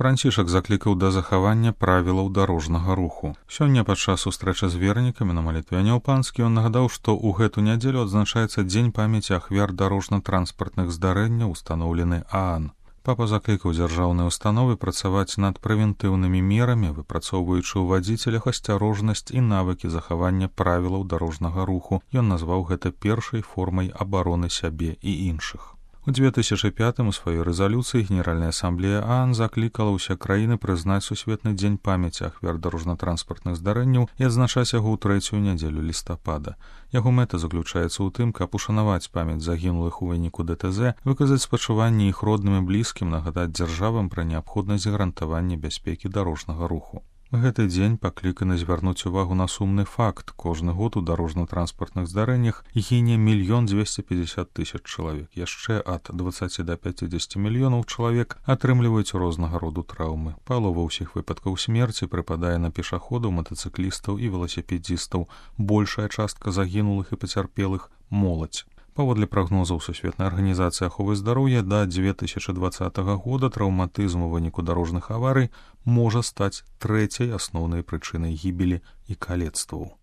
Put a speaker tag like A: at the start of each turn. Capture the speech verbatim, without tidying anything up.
A: Францішак заклікаў да захавання правілаў дарожнага руху. Сёння падчас сустрэчы з вернікамі на малітве Анёл-Панскі ён нагадаў, што ў гэту нядзелю адзначаецца дзень памяці ахвяр дарожна-транспартных здарэнняў, устаноўлены ААН. Папа заклікаў дзяржаўныя установы працаваць над прэвентыўнымі мерамі, выпрацоўваючы ў вадзіцелях асцярожнасць і навыкі захавання правілаў дарожнага руху. Ён назваў гэта першай формай абароны сябе і іншых. У две тысячы пятым у сваёй рэзалюцыі Генеральная асамблея ААН заклікала ўсе краіны прызнаць сусветны дзень памяці ахвяр дарожна-транспартных здарэнняў і адзначаць яго ў трэцюю нядзелю лістапада. Яго мэта заключаецца ў тым, каб ушанаваць памяць загінулых у выніку ДТЗ, выказаць спачуванне іх родным і блізкім, нагадаць дзяржавам пра неабходнасць гарантавання бяспекі дарожнага руху. Гэты дзень пакліканы звярнуць увагу на сумны факт. Кожны год у дарожна-транспартных здарэннях гіне мільён дзвесце пятьдесят тысяч чалавек. Яшчэ ад дваццаці да пяцідзесяці мільёнаў чалавек атрымліваюць рознага роду траўмы. Палова ўсіх выпадкаў смерці прыпадае на пешаходаў, матацыклістаў і веласіпедзістаў. Большая частка загінулых і пацярпелых – моладзь. Паводле прагнозаў Сусветнай арганізацыі аховы здароўя, да дзве тысячы дваццатага года траўматызм у выніку дарожных аварый можа стаць трэцяй асноўнай прычынай гібелі і калецтваў.